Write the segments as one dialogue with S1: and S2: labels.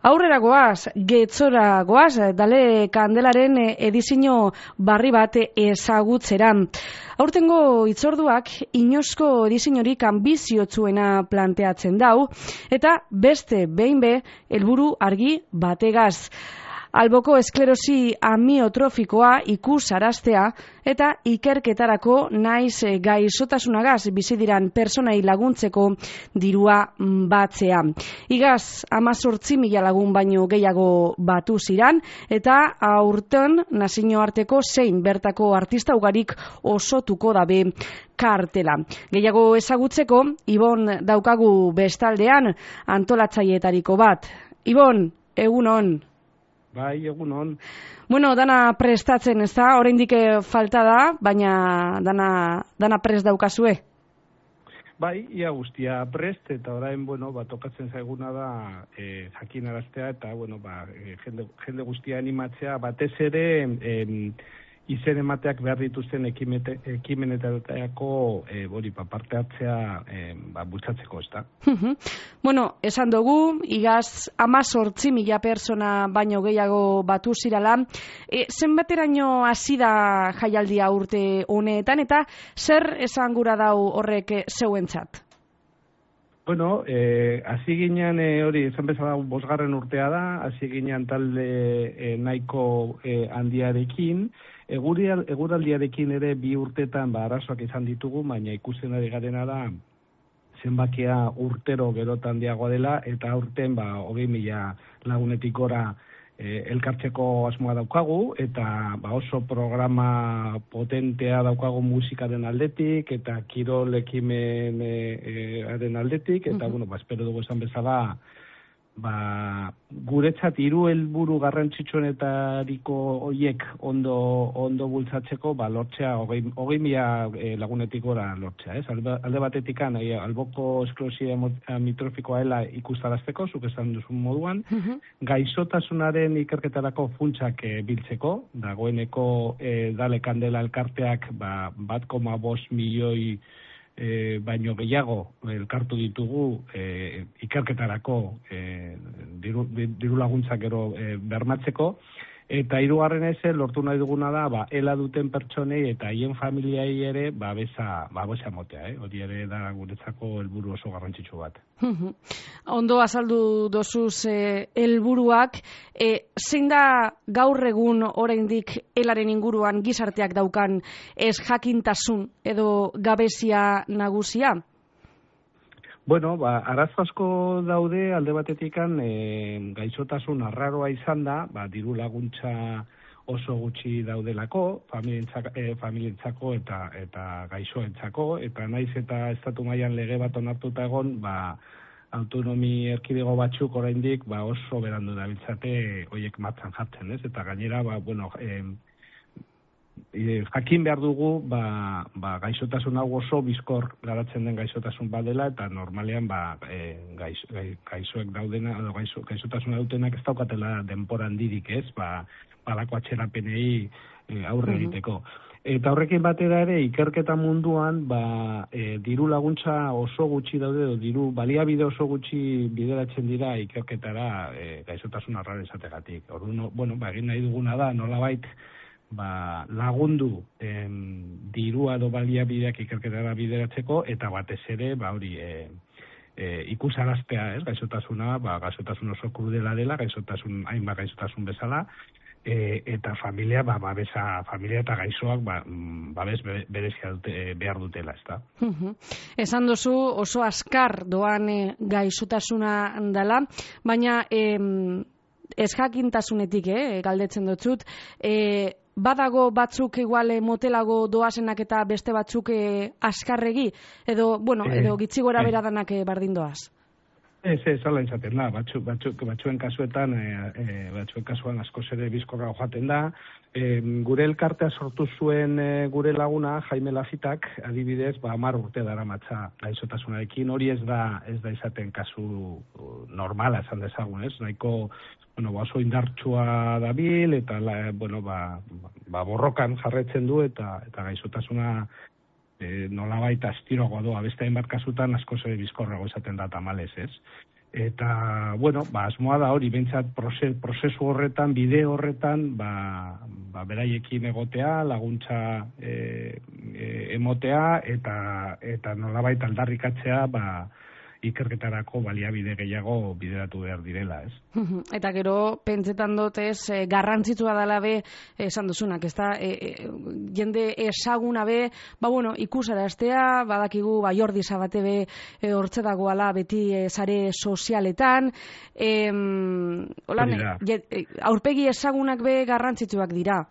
S1: Aurrera goaz, Getzora goaz, Dale Kandelaren edizio barri bat ezagutzera. Aurtengo hitzorduak inoizko ediziorik anbiziotsuena planteatzen dau, eta beste behin helburu argi bategaz. Alboko esklerosi amiotrofikoa ikusaraztea eta ikerketarako naiz gaixotasunagaz bizi diran personai laguntzeko dirua batzea. Igaz 18.000 lagun baino gehiago batu ziran eta aurten nazioarteko zein bertako artista ugarik osotuko dabe kartela. Gehiago ezagutzeko, Ibon daukagu bestaldean antolatzaileetariko bat. Ibon, egunon.
S2: Bai, egunon.
S1: Bueno, dana prestatzen, ez da? Oraindik falta da, baina dana prest daukazue.
S2: Bai, ia guztia prest, eta orain, tokatzen zaiguna da jakinaraztea, eta, jende guztia animatzea, batez ere, izen emateak behar dituzten ekimenetarako parte hartzea bultzatzeko, ez da?
S1: Esan dugu, igaz 18.000 persona baino gehiago batu zirala. Zenbateraino hasi da jaialdia urte honetan, eta zer esan gura dau horrek zeuentzat?
S2: Hasi ginen hori, esan bezala 5. urtea da, hasi ginen talde nahiko handiarekin. Eguraldiarekin ere 2 urtetan arazoak izan ditugu, baina ikusten ari garena da zenbakia urtero gerotan handiagoa dela, eta aurten 20.000 lagunetik gora elkartzeko asmoa daukagu, eta oso programa potentea daukagu musikaren aldetik, eta kirol ekimenaren aldetik, eta espero dugu esan bezala, guretzat 3 helburu garrantzitsuenetariko horiek ondo bultzatzeko, lortzea 20.000 lagunetik gora lortzea, ez? Alde batetik alboko esklerosi amiotrofikoa dela ikustarazteko, zuk esan duzun moduan, gaixotasunaren ikerketarako funtsak biltzeko, dagoeneko Dale Kandela elkarteak 1,5 milioi baino gehiago elkartu ditugu ikerketarako diru laguntzak gero bermatzeko, eta 3. lortu nahi duguna da ela duten pertsonei eta haien familiai ere babesa motea, hori ere da guretzako helburu oso garrantzitsu bat.
S1: Ondo azaldu dozuz helburuak, zein da gaur egun oraindik elaren inguruan gizarteak daukan ez jakintasun edo gabezia nagusia?
S2: Arazo asko daude, alde batetikan gaixotasun arraroa izan da, diru laguntza oso gutxi daudelako, familientzako eta gaixoentzako, eta naiz eta estatu mailan lege bat onartuta egon, autonomi erkidego batzuk oraindik oso berandu dabiltzate horiek martxan jartzen, ez? Eta gainera, jakin behar dugu, gaixotasun hau oso bizkor garatzen den gaixotasun badela, eta normalean gaixoek daudena, gaixotasuna dutenak ez daukatela denpora handirik, ez? Balako atxerapenei aurre egiteko. Eta horrekin batera ere, ikerketa munduan, diru laguntza oso gutxi daude, diru baliabide oso gutxi bideratzen dira ikerketara gaixotasun arraro izategatik. Orduan, egin nahi duguna da, nolabait, lagundu dirua edo baliabideak ikerketara bideratzeko, eta batez ere, ikusaraztea, ez, gaixotasuna, gaixotasun oso krudela dela, hainbat gaixotasun bezala, eta familia, familia eta gaixoak babes berezia behar dutela, ez da.
S1: Esan duzu oso askar doan gaixotasuna dela, baina ez jakintasunetik, galdetzen dutzut, badago batzuk igual motelago doazenak eta beste batzuk askarregi, edo gitzi gora bera danak bardin doaz?
S2: Ez, hala izaten da, batzuen kasuetan, kasuan askoz ere bizkorra joaten da. Gure elkartea sortu zuen gure laguna, Jaime Lafitak, adibidez, 10 urte daramatza gaixotasunarekin, hori ez da izaten kasu normala esan dezagun, ez? Nahiko oso indartsua dabil, eta borrokan jarretzen du, eta gaixotasuna nolabait astiroagoa doa, beste hainbat kasutan askoz ere bizkorrago izaten da tamalez, ez? Eta, bueno, asmoa da hori, bentsat prozesu horretan, bide horretan, beraiekin egotea, laguntza emotea, eta nolabait aldarrikatzea, ikerketarako baliabide gehiago bideratu behar direla, ez?
S1: Eta gero, pentsetan dut garrantzitsua dela be, esan duzunak, ez da, jende esaguna be, ikusaraztea, badakigu, Jordi Sabate be, hortze dagoala beti sare sozialetan, aurpegi esagunak be garrantzitsuak dira.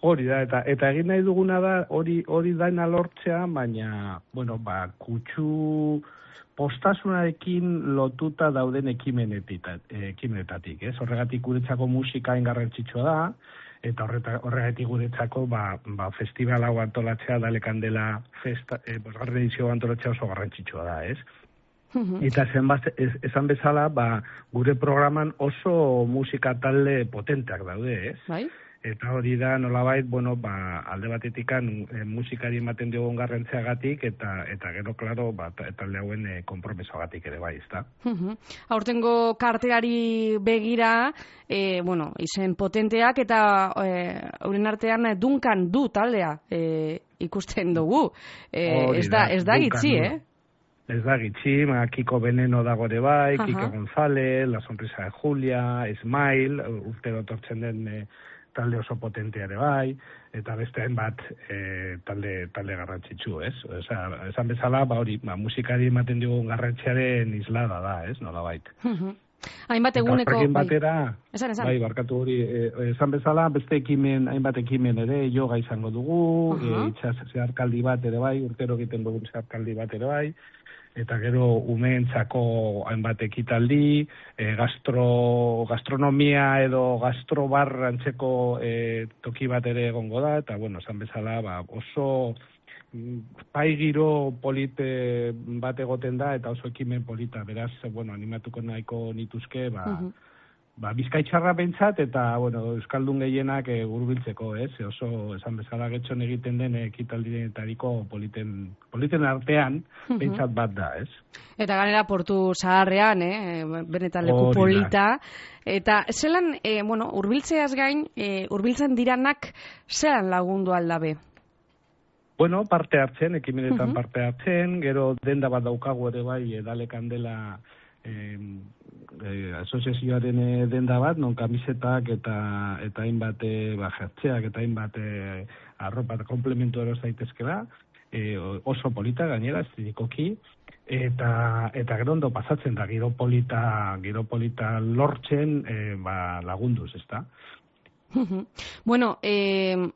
S2: Hori da, eta egin nahi duguna da, hori daina lortzea, baina, kutsu postasunarekin lotuta dauden ekimenetatik, ez? Horregatik guretzako musika garrantzitsua da, eta horregatik guretzako festival hau antolatzea, Dale Kandela bosgarren edizio antolatzea oso garrantzitsua da, ez? Eta esan bezala, gure programan oso musika talde potenteak daude, ez?
S1: Bai?
S2: Eta hori da, nolabait, alde batetikan musikari ematen diogun garrantziagatik, eta gero, klaro, talde hauen konpromesoagatik ere bai, ezta?
S1: Aurtengo karteari begira, izen potenteak, eta euren artean Duncan Du taldea ikusten dugu. Ez da gitzi,
S2: Ez da gitzi, Kiko Veneno dago ere bai, Kiko González, La Sonrisa de Julia, Smile, urtero tortzen den talde oso potentea ere bai, eta beste hainbat talde garrantzitsu, ez? Esan bezala, musikari ematen dugun garrantziaren islada da, ez? Nolabait.
S1: Hainbat eguneko...
S2: Eta batera,
S1: esan.
S2: Barkatu hori, esan bezala, beste hainbat ekimen ere, yoga izango dugu, itxas zeharkaldi bat ere bai, urtero egiten dugun zeharkaldi bat ere bai, eta gero umeentzako hainbat ekitaldi, gastronomia edo gastrobar antzeko toki bat ere egongo da, eta esan bezala oso pai giro polite bat egoten da, eta oso ekimen polita, beraz, animatuko nahiko nituzke, Bizkaitxarra bentsat, eta, Euskaldun gehienak hurbiltzeko, ez? Oso, esan bezala getxon egiten den ekitaldinetariko politen artean, bentsat bat da, ez?
S1: Eta ganera Portu Zaharrean, benetan leku polita. Eta zelan, hurbiltzeaz gain, hurbiltzen diranak zelan lagundu aldabe?
S2: Parte hartzen, ekimenetan parte hartzen, gero denda bat daukagu ere bai, Dale Kandela asoziazioaren denda bat, non kamisetak eta hainbat jertzeak eta hainbat arropa komplementu eros daitezkela, oso polita gainera, estilikoki, eta gero ondo pasatzen da, giro polita lortzen lagunduz, ezta?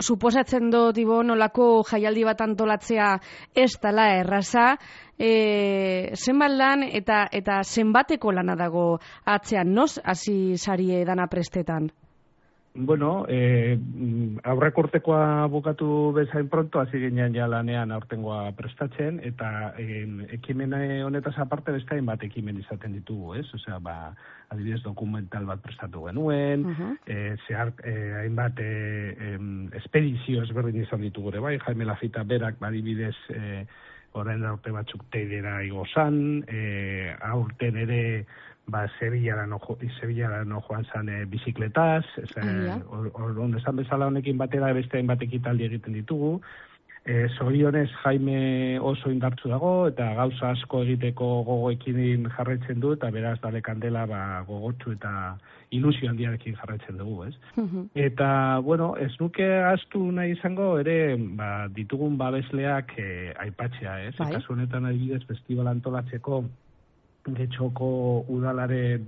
S1: Suposatzen dut, nolako jaialdi bat antolatzea ez dela erraza, zenbat lan eta zenbateko lana dago atzean, noz hasi sarie dana prestetan?
S2: Aurreko urtekoa bukatu bezain pronto, hasi ginean ja lanean aurtengoa prestatzen, eta ekimen honetaz aparte beste hainbat ekimen izaten ditugu, ez? Adibidez dokumental bat prestatu genuen, hainbat espedizio ezberdin izan ditugu ere bai, Jaime Lafita berak adibidez orain urte batzuk Teidera igozan, aurten ere Sevilla no joan zan bizikletaz, onde esan bezala honekin batera beste hainbat ekitaldi egiten ditugu. Zorionez Jaime oso indartsu dago, eta gauza asko egiteko gogoekin jarraitzen du, eta beraz Dale Kandela gogotsu eta ilusio handiarekin jarraitzen dugu, ez? Eta, ez nuke ahaztu nahi izango, ere, ditugun babesleak aipatzea, ez? Eta honetan adibidez festival antolatzeko Getxoko udalaren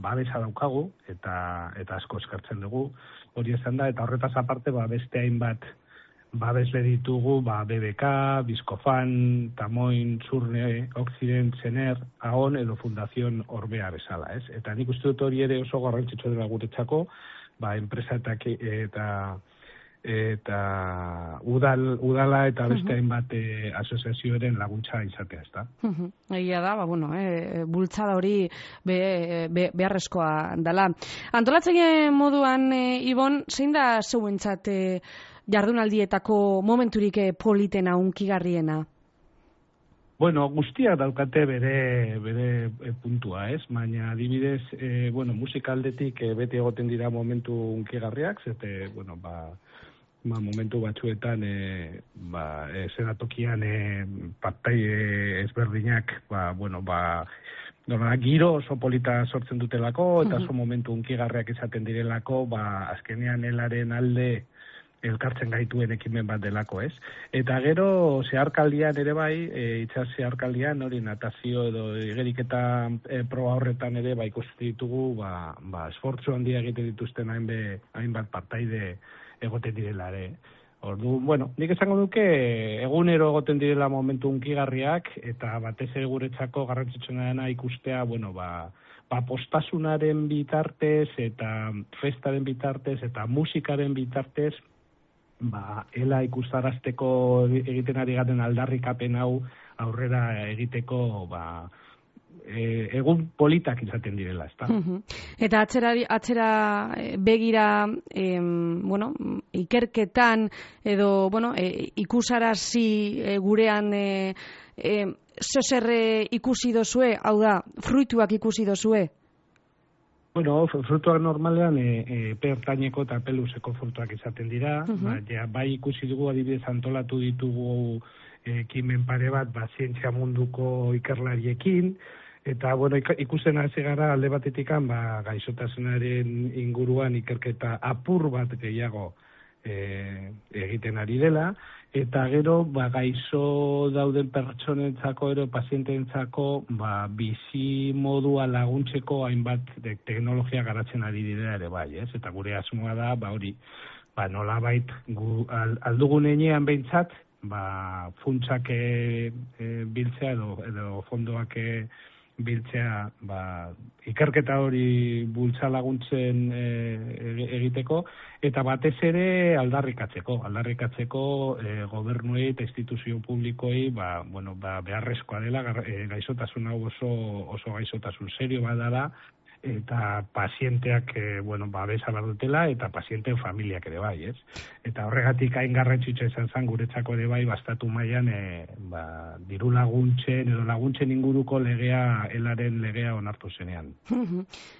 S2: babesa daukagu, eta asko eskertzen dugu, hori esan da, eta horretaz aparte beste hainbat babesle ditugu, BBK, Bizkofan, Tamoin, Zurne, Occident, Zener, Aon edo Fundación Orbea bezala, ez? Eta nik uste dut hori ere oso garrantzitsua dela guretzako, enpresa eta udala eta beste hainbat asoziazioaren laguntza izatea, ezta?
S1: Egia da, bultzada hori beharrezkoa dela. Antolatzen moduan, Ibon, zein da zeuentzat jardunaldietako momenturik politena, hunkigarriena?
S2: Bueno, guztiak daukate bere puntua, ez? Baina adibidez, musika aldetik beti egoten dira momentu unkigarriak, zete, momentu batzuetan zenatokian partai ezberdinak, giro oso polita sortzen dutelako, eta oso momentu unkigarriak izaten direlako, azkenean helaren alde elkartzen gaituen ekimen bat delako, ez? Eta gero, zeharkaldian ere bai, itsas zeharkaldian, hori natazio edo igeriketa proba horretan ere, ikusten ditugu, esfortzu handia egiten dituzten hainbat partaide egoten direla ere. Ordu, nik esango duke, egunero egoten direla momentu unkigarriak, eta batez ere guretzako garrantzitsuna dena ikustea, postasunaren bitartez, eta festaren bitartez, eta musikaren bitartez, ela ikustarazteko egiten ari garen aldarrikapen hau aurrera egiteko, egun politak izaten direla, ezta?
S1: Eta atzera begira, ikerketan edo, ikusarazi gurean zozerre ikusi dozue, hau da, fruituak ikusi dozue?
S2: Frutuak normalean pertaineko eta peluseko frutuak izaten dira, bai ikusi dugu adibidez antolatu ditugu ekimen pare bat, zientzia munduko ikerlariekin, eta ikusten hasi gara alde batetikan gaixotasunaren inguruan ikerketa apur bat gehiago egiten ari dela, eta gero gaixo dauden pertsonentzako ero paziententzako bizi modua laguntzeko hainbat teknologia garatzen ari dira ere bai, ez? Eta gure asmoa da, nolabait aldugun enean behintzat, funtsak biltzea edo fondoak biltzea ikerketa hori bultza laguntzen egiteko, eta batez ere aldarrikatzeko gobernuei eta instituzio publikoei beharrezkoa dela gaixotasun hau oso gaixotasun serio badala, eta pazienteak babesa badutela, eta pazienteen familiak ere bai, ez? Eta horregatik hain garrantzitsua izan zen guretzako ere bai, estatu mailan diru laguntzen edo laguntzen inguruko elaren legea onartu zenean.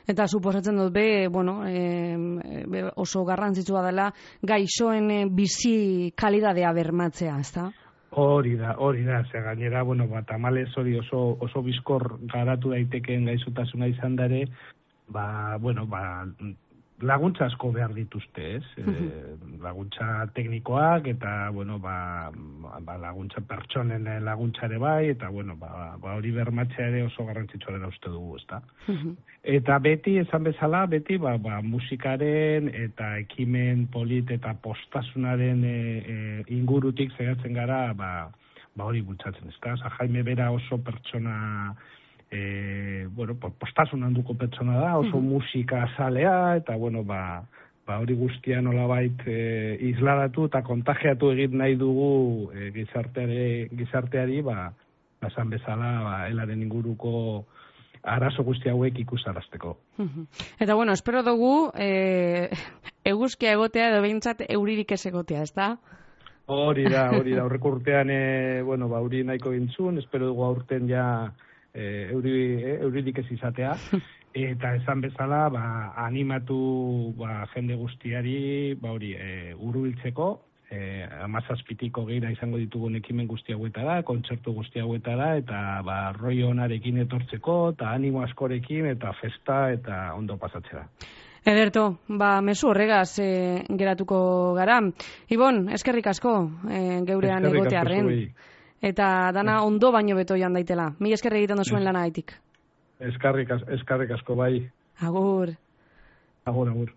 S1: Eta suposatzen dut oso garrantzitsua dela gaixoen bizi kalidadea bermatzea, ezta?
S2: Hori da, ze gainera, tamalez hori oso bizkor garatu daitekeen gaixotasuna izan dare, laguntza asko behar dituzte, ez? Laguntza teknikoak, eta, laguntza pertsonen laguntzare bai, eta, hori bermatzea ere oso garrantzitsua dela uste dugu, ezta? Eta beti, esan bezala, musikaren eta ekimen polit eta postasunaren ingurutik zehatzen gara, hori bultzatzen, ezta? Jaime bera oso pertsona, postasun handuko pertsona da, oso musika azalea, eta, hori guztia nolabait isladatu eta kontagiatu egin nahi dugu gizarteari, esan bezala, elaren inguruko arazo guzti hauek ikusarazteko.
S1: Eta, espero dugu eguzkia egotea edo behintzat euririk ez egotea, ez da?
S2: Hori da, aurreko urtean, euri nahiko gintzun, espero dugu aurten ja euririk ez izatea, eta esan bezala, animatu jende guztiari, hurbiltzeko, 17-tik geira izango ditugun ekimen guzti hauetara, kontzertu guzti hauetara, eta rollo onarekin etortzeko, eta animo askorekin, eta festa, eta ondo pasatzera.
S1: Ederto, mezu horregaz geratuko gara. Ibon, eskerrik asko geurean egotearren. Eta dana ondo baino beto joan daitela. Mi eskerrik egiten duzuen lana haitik.
S2: Eskerrik asko bai.
S1: Agur.
S2: Agur.